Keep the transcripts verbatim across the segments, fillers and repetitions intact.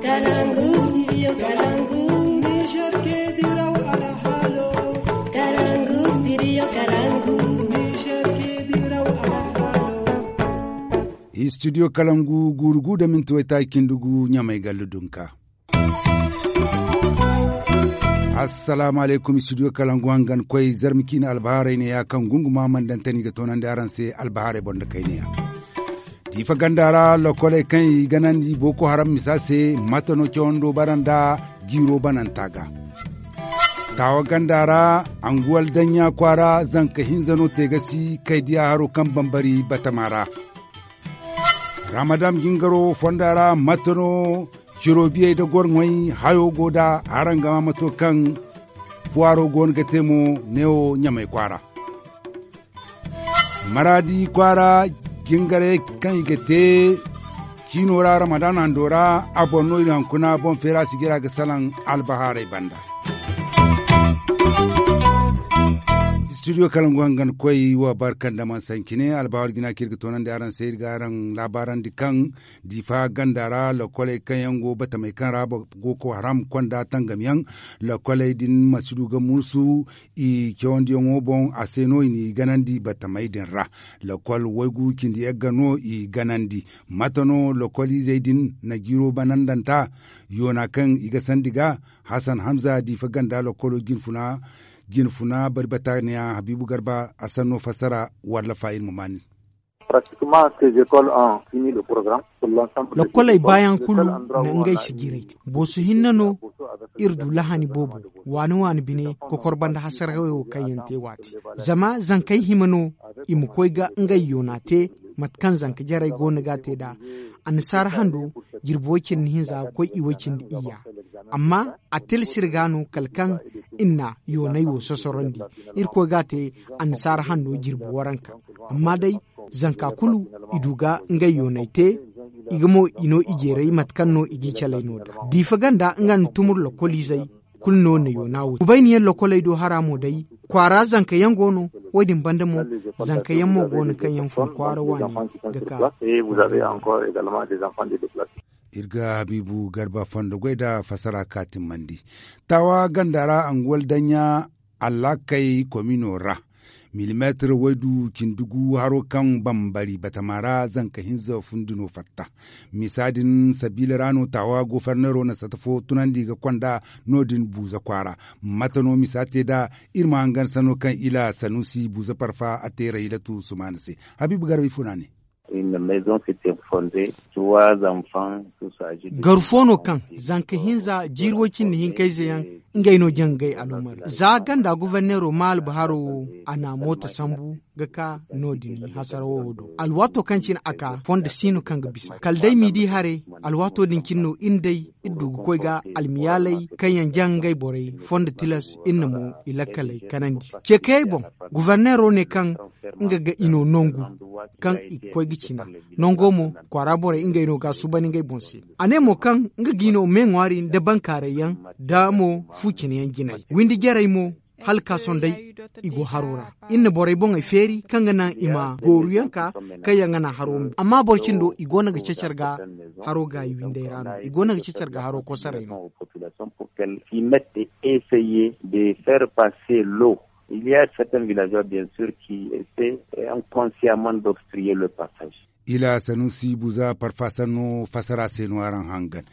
Kalangu, studio Kalangu. Niger ke diraw alhalo. Kalangu, studio Kalangu. Niger ke diraw alhalo. Studio Kalangu, guuru gu da minti waytaaci cindi gu, Ɲamay gallu dunka. Assalaamu alaykum, studio Kalangu hangan koy, zarma ciine albahaarey neeya kaŋ gunguma mana daŋ tani ga toonandi araŋ se albahaarey boŋ da kayna yaŋ. Diifa ganda ra, lokoley kaŋ i ganandi Boko Haram misa se, mate no cawando bara nda jiiro bananta ga. Taawa ganda ra, anguwal daŋya kwaara, zanka hinza no te ga si kay diya haro kaŋ bambari batama ra. Ramadan jingaro fonda ra, mate no ciro biyey da gorŋey hayo go da, araŋ ga ma mato kaŋ fuwaaro go no ga te mo neewo Ɲamay kwaara. Maraadi kwaara jingarey kaŋ i ga te ciino ra Ramadan hando ra, a boŋ no iri hankuna boŋ feera sijira ga salaŋ albahaarey banda. Studio Kalangu hangan koy wa barkan da man sancine albahaar jina kaŋ iri ga toonandi araŋ se iri ga araŋ laabaarandi kaŋ Diifa ganda ra, lokoley kaŋ yaŋ go batamey kaŋ ra Boko Haram konda tangamyaŋ, lokoley din ma si du ga mursu i cawandiyaŋo boŋ, a se no i n'i ganandi batamey din ra. Lokol waygu cindi yagga no i ganandi. Mate no lokoliizey din na jiiro banandanta yoona kaŋ i ga sandi ga? Hasan Hamza, Diifa ganda lokolo jinfuna, jinfuna bari bata neeya Habiibu Garba a sanno fassara walla fa iri ma maani. Pratiquement ces écoles ont fini le programme. Lokkoley baayaŋ kulu na ngey sijirey te. Booso hinne no iri du lahani boobo waani waani bine kokor banda hasarayaŋ wo kaŋ yaŋ te waati. Zama zankey hima no i ma koy ga ngey yoona te, mate kaŋ zanka jarey go no ga te nd'a. Annasaara hando jirbi way cindi hinza ga koy i way cindi iyya. Amma a tilas iri ga no kala kaŋ iri na yoonay wo sosorandi. Irkoy ga a te annasaara hando jirbi waranka. Amma day, zanka kulu i du ga ngey yoonay te, i ga mo i no i jeeray mate kaŋ no i g'i calay no nd'a. Diifa ganda nga nda tumur lokoliizey kulu no na yoona wo te. Kubayniyaŋ lokoley do hara mo day, kwaara zanka yaŋ go no. Wo-din banda mo, zanka yaŋ mo go no kaŋ yaŋ fun kwaara waani ga ka. Iri ga Habiibu Garba fondo goy nda fassara kaatimmandi. Taawa ganda ra anguwal daɲɲa Allakay komino ra, milimeetir waydu cindi gu haro kaŋ bambari batama ra zanka hinza fundi no fatta. Misa din sabiila ra no taawa goforneero na sata fo tunandi ga konda no-din buuza kwaara. Mate no misa te nd'a? Iri ma hangan sanno kaŋ ila sanusi buuza parfa a te raylatu sumaana se. Habiibu garba ifo no a ne. Garu fo no kaŋ zanka hinza jiiri way cindi hinkayze yaŋ, ngey no jaŋ ngey alumar za ganda guverneero ma albaharo wo a na moota sambu ga ka no-din hasara wo do. Alwaato kaŋ cine a ka fondo si no kaŋ ga bisa kala day m'i di hare. Alwaato din cine no iri day iri du ga koy ga almiyaaley kaŋ yaŋ jaŋ ngey borey fondo tilas iri na mo i lakkaley kanandi. Ceekayey boŋ, guverneero ne kaŋ nga ga i no nangu kaŋ i ga koy ga cina. Nango mo kwaara borey ngey no ga a suuban ngey boŋ se. A ne mo kaŋ nga ga i no me ŋwaari nda bankaaray yaŋ nda mo fu cine yaŋ jinay windi jarey mo hala ka sohõ day i go haro ra. Iri na borey boŋey feeri kaŋ ga naŋ i ma gooru yaŋ ka kaŋ yaŋ ga naŋ haro ma bi amma boro cindo i go no ga cacar ga haro gaayi windey ra no i go no ga cacar ga haro kosoray no. Il y a certains villageois bien sûr qui essaient inconsciemment d'obstruer le passage. Ila sanusi buza parfasanno fasara se no araŋ hangan.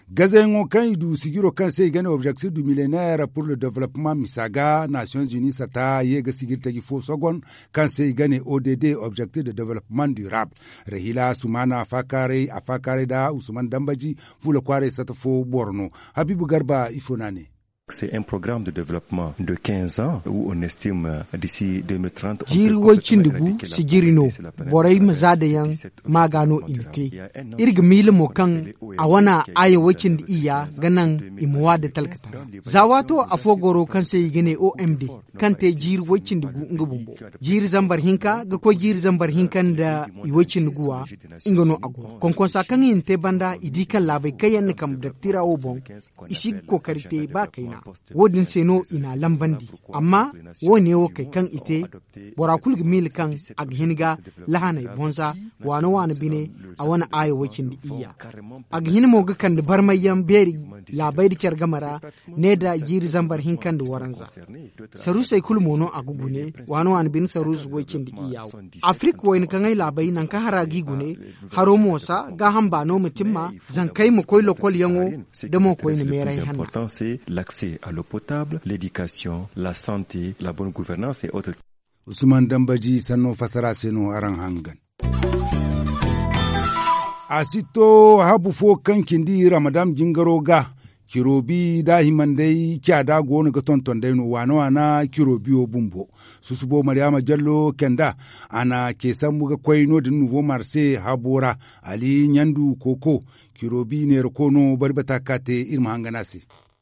Gazayaŋo kaŋ i du sijiro kaŋ se i ga ne objectif du millénaire pour le développement misa ga nations unies sata ye ga sijiri taji fo sogon kaŋ se i ga ne odd, objectif de développement durable. Rahila sumana a faakaaray a faakaaray nda usman dambaji fuula kwaaray sata fo boro no. Habiibu garba ifo no a ne. C'est un programme de développement de quinze ans où on estime d'ici deux mille trente jiiri way cindi gu sijiri no. Borey ma za da yaŋ maaga no i na te. Iri ga miila mo kaŋ a wana aya way cindi iyya ga naŋ i ma wa da talkata ra. Za waato afo goro kaŋ se i ga ne omd kaŋ te jiiri way cindi gu nga bumbo. Jiiri zambar hinka ga koy jiiri zambar hinka nda i way cindi guwa. Nga no a go konkonsa kaŋ i na te banda i di kaŋ laabay kaŋ yaŋ na kambe daktira wo boŋ i si ga kookari te ba kayna. Wo- din se no i n'a lambandi. Amma wo- ne wo kay kaŋ i te, bora kulu ga miila kaŋ a ga hin ga lahaney bonza, waana waana bine, a wane aayo way cindi iyya. A ga hin mo ga kande barmayyaŋ beeri laabey nda care game ra, ne nda jiiri zambar hinka nda waranza. Saruusey kulu mo no a ga gune, waana waana bine saruusu way cindi iyya wo. Afirik wayna kaŋ ay laabey nangu kaŋ hara g'i gune, haro mo sa gaaham baano ma timma, zankey ma koy lokolyaŋo, da mo koyne meeray hanna. Usman dambaji sanno fassara se no araŋ hangan. A si to habu fo kaŋ cindi ramadan jingaro ga, cirobi da himandey caada go no ga tonton day no waana waana cirobiyo bumbo. Susubo mariyama jallo kenda, a na ce sambu ga koy no- din nubo marse habo ra. Ali ɲandu koko, cirobi neera ko no bari bata ka te iri ma hangan a se.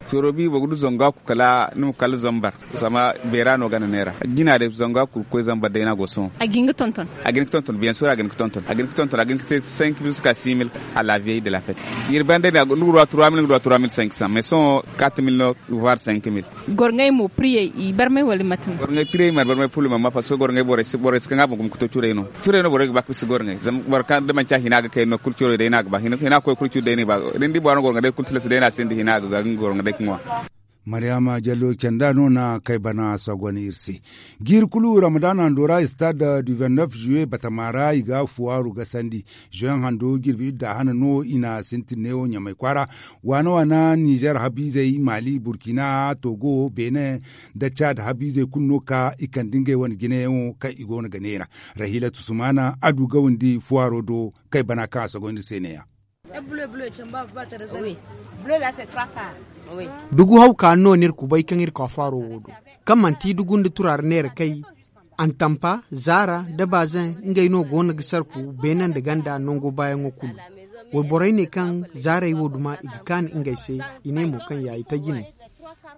Corobi boro ga du zangu a kulu kala ni ma kala zambar. Zama beera no gana neera jina day zangu a kulu ga koy zambar day no a go sohõ. A ga hin ga tonton. A ga hin ga tonton biyan sura a ga hin ga tonton a ga hin ga tonton a ga hin ga te cinq mille jusqu'à six mille. À la vieille de la fête. Iri banda day no a ga du trois mille ni ga du trois mille cinq cents mais sohõ quatre mille no, voire cinq mille. Gorŋey mo priyey i barmay wala mate no? Gorŋey priyey mana barmay pulu mana ma parce que gorŋey borey si kaŋ a boŋ gumo ga to curey no. Curey no borey ga ba ga bisa gorŋey zama boro kaŋ da manci a hina ga kay no kulu curey day no a ga ba hina koy kulu curi day no i ba. Da ni di boro gorŋey day kulu tilas day no a sinda hina a ga ga nga gorŋey day ga ŋwa. Mariyama jallo canda no na kay bana sagon iri se. Jiiri kulu ramadan hando ra stade du vingt-neuf juillet batama ra i ga fuwaaru gasandi. Juin hando jirbi idda hana no i na sintin neewo ɲamay kwaara. Waana waana nizer habiizey mali burkina togo benin, da cad habiizey kulu no ka i kande ngey wane jinayaŋo kaŋ i go no ga neera. Rahilatu sumana a du gawandi fuwaaro do kay bana kaŋ a sogoyndi se neeya. Dugu haw ka no no iri kubay kaŋ iri ka faaro wo do, kaŋ manti dugu nda turaara neera kay, antampa zaara da bazen ngey no go no ga sarku beene nda ganda nango baayaŋo kulu. Wayborey ne kaŋ zaarey wo duma i ga kaani ngey se. I ne mo kaŋ ya i taji no.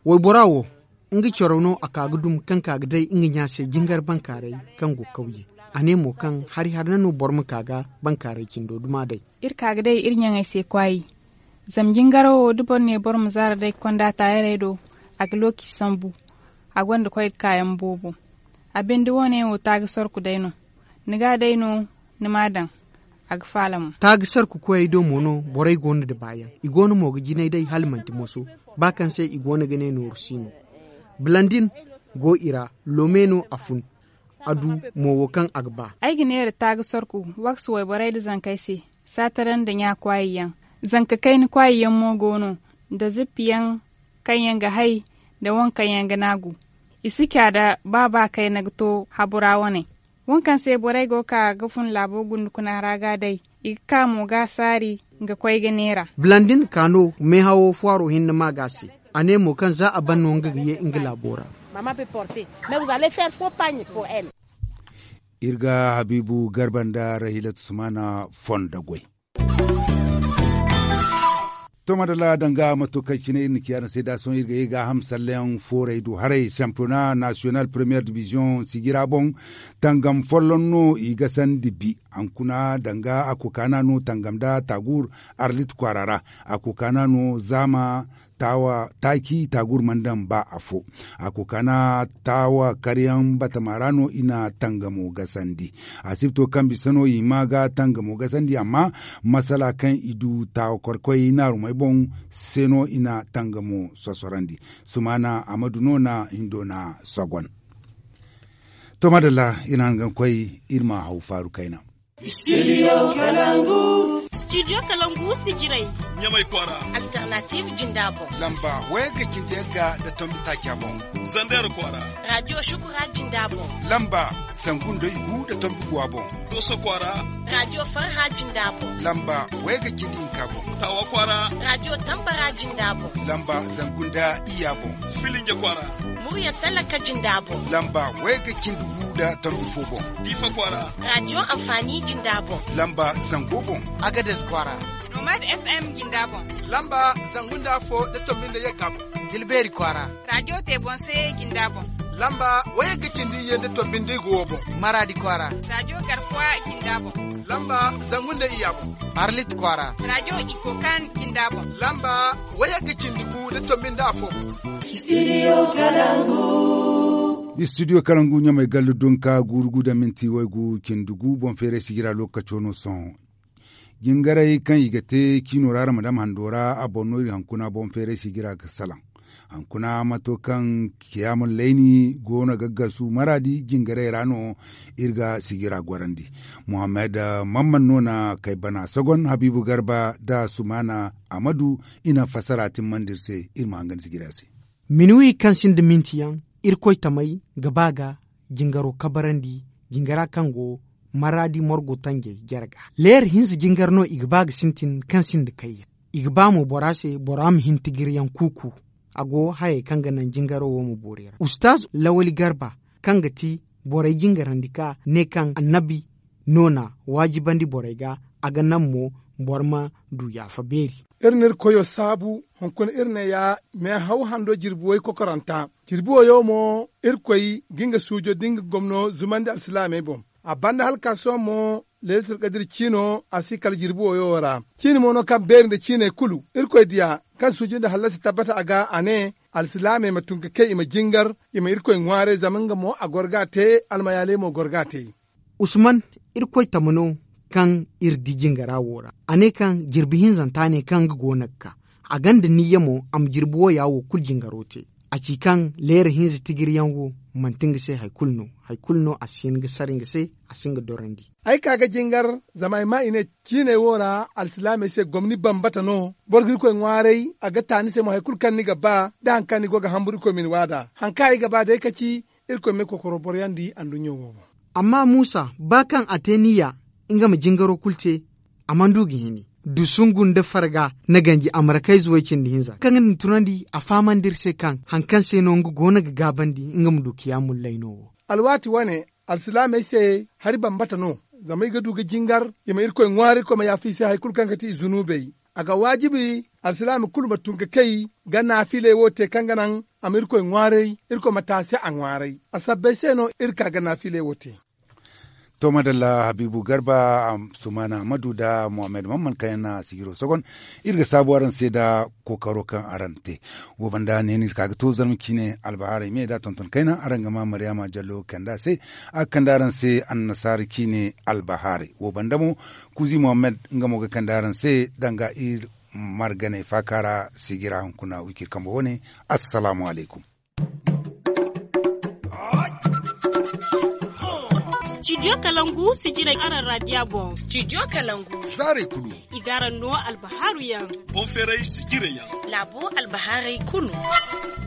Waybora wo nga coro no a ka ga dum kaŋ ka ga day nga ɲa se jingar bankaaray kaŋ go kawye. A ne mo kaŋ hari hari na no boro ma ka ga bankaaray cindo duma day. Iri ka ga day iri ɲaŋey se kwaayi. Zama jingaro wo da boro ne boro ma zaara day ga konda taayarey do, a ga looci sambu. A gonda koy ga kaayaŋ boobo. A binde wo- ne wo taaga sorku day no. Ni ga day no ni m'a daŋ. A ga faala mo. Taaga sarku koyey do mo no borey go no da baayaŋ. I go no mo ga jinay day hala manti moso. Ba kaŋ se i go no ga ne nooru si no. Bilandin go i ra. Loome no a fun. A du mo wo kaŋ a ga ba. Ay ga neera taaga sorku, waksu wayborey nda zankey se. Saataray nda ɲa kwaayi yaŋ. Zanka kayna kwaayi yaŋ mo go no, nda zippi yaŋ kaŋ yaŋ ga hay, nda waŋ kaŋ yaŋ ga naagu. I si ca da ba ba kayna ga to habu ra wane. Waŋ kaŋ se borey go ga ka ga fun laabo gundukuna ra ga day. I ga ka mo ga saari, nga koy ga neera. Bilandin ka no meehawo fuwaaro hinne ma ga se. A ne mo kaŋ za a ban no nga ga ye nga laabo ra. Iri ga habiibu garba nda rahilatu sumana fondo goy. To madalla danga mato kaŋ cine iri na ci araŋ se da sohõ iri ga ye gaaham salleyaŋ foorey du haray sampiyona nasiyonal première division sijira boŋ. Tangam folloŋ no i ga sandi bi. Hankuna danga a kokaana no tangam da taagur arlit kwaara ra. A kokaana no zaama taaci taagur mana daŋ ba afo. A kokaana taawa karyaŋ batama ra no i na tangamo gasandi. Asibto kaŋ bisa no i hima ga tangamo gasandi amma masala kaŋ i du taawa korkoy naarumey boŋ se no i na tangamo sosorandi. Sumaana amadu no na hindo na sogon. To madalla iri na hangan koy iri ma haw faaru kayna. Studio kalangu. Studio kalangu sijiray. Ɲamay kwaara. Alternative jinda boŋ. Lamba wayga cindi yagga da tombi taaca boŋ. Zander kwaara. Radio shukura jinda boŋ. Lamba zangu nda igu da tombi guwa boŋ. Doso kwaara. Radio farha jinda boŋ. Lamba wayga cindi hinka boŋ. Tawa kwaara. Radio tambara jinda boŋ. Lamba zangu nda iyya boŋ. Filinje kwaara. Murya talaka jinda boŋ. Lamba wayga cindi gu da tombi fo boŋ. Diifa kwaara. Radio amfani jinda boŋ. Lamba zango boŋ. Agades kwaara. Nomad FM jinda boŋ. Lamba zangu nda afo da tombi nda yagga boŋ. Tilbeeri kwaara. Radio te boŋ se jinda boŋ. Lamba wayagga cindi iyye nda tombi nda i go wo boŋ. Maraadi kwaara. Raajo garkuwa jinda boŋ. Lamba zangu nda iyya boŋ. Arlit kwaara. Raajo ikokan jinda boŋ. Lamba wayagga cindi gu nda tombi nda afo boŋ. Istidiyo kalangu. Istidiyo kalangu ɲamay gallu dunka guuru gu nda minti waygu cindi gu boŋ feeray sijira lokaco no sohõ. Jingaray kaŋ i ga te ciino ra ramadam hando ra a boŋ no iri hankuna boŋ feeray sijira ga salaŋ. Hankuna mato kaŋ kiyaamun layni go no ga gasu maraadi jingaray ra no iri ga sijira gorandi. Muhammad mamman no na kay bana sogon habiibu garba nda sumaana amadu i na fassara timmandi iri se. Iri ma hangan sijira se. Minuwi kaŋ sinda minti yaŋ irkoy tamey ga ba ga jingaro kabarandi. Jingara kaŋ go maraadi morgo tanjey jare ga leer hinza jingar no i ga ba ga sintin kaŋ sinda kayyaŋ. I ga ba mo bora se bora ma hin tigiryaŋ kuuku. A go hayey kaŋ ga naŋ jingaro wo ma boori ra ustaaz lawali garba kaŋ ga ti borey jingarandi ka ne kaŋ annabi no na waajibandi borey ga. A ga naŋ mo boro ma du yaafa beeri. Iri na iri koyo saabu hunkuna iri ne ya meehaw hando jirbi way kokoranta. Jirbi wayo mo irkoy ga nga suujo da nga gomno zumandi alsilaamey boŋ. A banda hala ka sohõ mo leelatul kadir ciino a si kala jirbi wayo wo ra. Ciini mo no kaŋ beeri nda ciiney kulu irkoy diya kaŋ suujo nda hallasi tabbata a ga a ne alsilaamey ma tun ka kay i ma jingar i ma irkoy ŋwaaray zama nga mo a goro ga a te. Almayaaley mo goro ga a te. Usman, irkoy tama no kaŋ iri di jingara wo ra. A ne kaŋ jirbi hinzanta ne kaŋ nga go no ga ka a gonda niyya mo a ma jirbi wooya wo kulu jingaro te. A ci kaŋ leera hinza tigiriyaŋ wo manti nga se hari kulu no. Hari kulu no a si hin ga sara nga se. A si hin ga dorandi. Ay ka ga jingar zama ay maa i ne ciiney wo ra alsilaamey se gomni bambata no. Boro ga irkoy ŋwaaray a ga ta ni se mo hari kulu kaŋ ni ga ba da hari kaŋ ni go ga hamburu irkoy ma ni waada hari kaŋ ay ga ba day ka ci. Irkoy ma ay kokoro boroyaŋ di anduɲɲo wo boŋ. Amma muusa ba kaŋ a te niyya nga ma jingaro kulu te. A mana du ga hini dusungu nda farga na ganji a markayze way cindi hinza kaŋ ga ni tunandi a fahamandi iri se kaŋ hari kaŋ se no nga go no ga gaabandi nga ma du kiyaamul layno wo. Alwaati wane alsilaamey se hari bambata no. Zama i ga du ga jingar i ma irkoy ŋwaari irkoy ma yaafa i se hari kulu kaŋ ga ti i zunubey. A ga waajibi alsilaami kulu ma tun ga kay ga naafiley wo te kaŋ ga naŋ a ma irkoy ŋwaaray. Irkoy ma te a se a ŋwaaray a sabbay se no iri ka ga naafiley wo te. To madalla habiibu garba, sumaana ammadu nda muhammad mamman kaŋ yaŋ na sijiro sogon. Iri ga saabu araŋ se nda kookaro kaŋ araŋ te. Wo banda ne no iri ka ga to zarma ciine albahaarey me nda tonton kayna araŋ ga ma maryaama jallo kande a se. A ga kande araŋ se annasaara ciine albahaarey wo banda mo kuuzi muhammad nga mo ga kande araŋ se danga iri marganey faaka ra. Sijira hunkuna wiciri kambo wane. Assalaamu alaykum. Studio kalangu sijirey araŋ raadiya boŋ. Studio kalangu zaarey kulu i ga araŋ no albahaaru yaŋ. Boŋ feeray sijirey yaŋ. Laabo albahaaray kulu.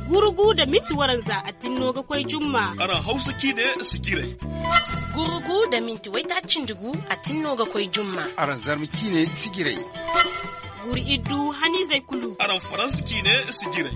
Gurugu nda minti waranza a tinno ga koy jumma. Araŋ hawsa ciine sijirey. Gurugu nda minti waytaaci nda gu a tinno ga koy jumma. Araŋ zarma ciine sijirey. Guuru iddu haniizey kulu. Araŋ faransa ciine sijirey.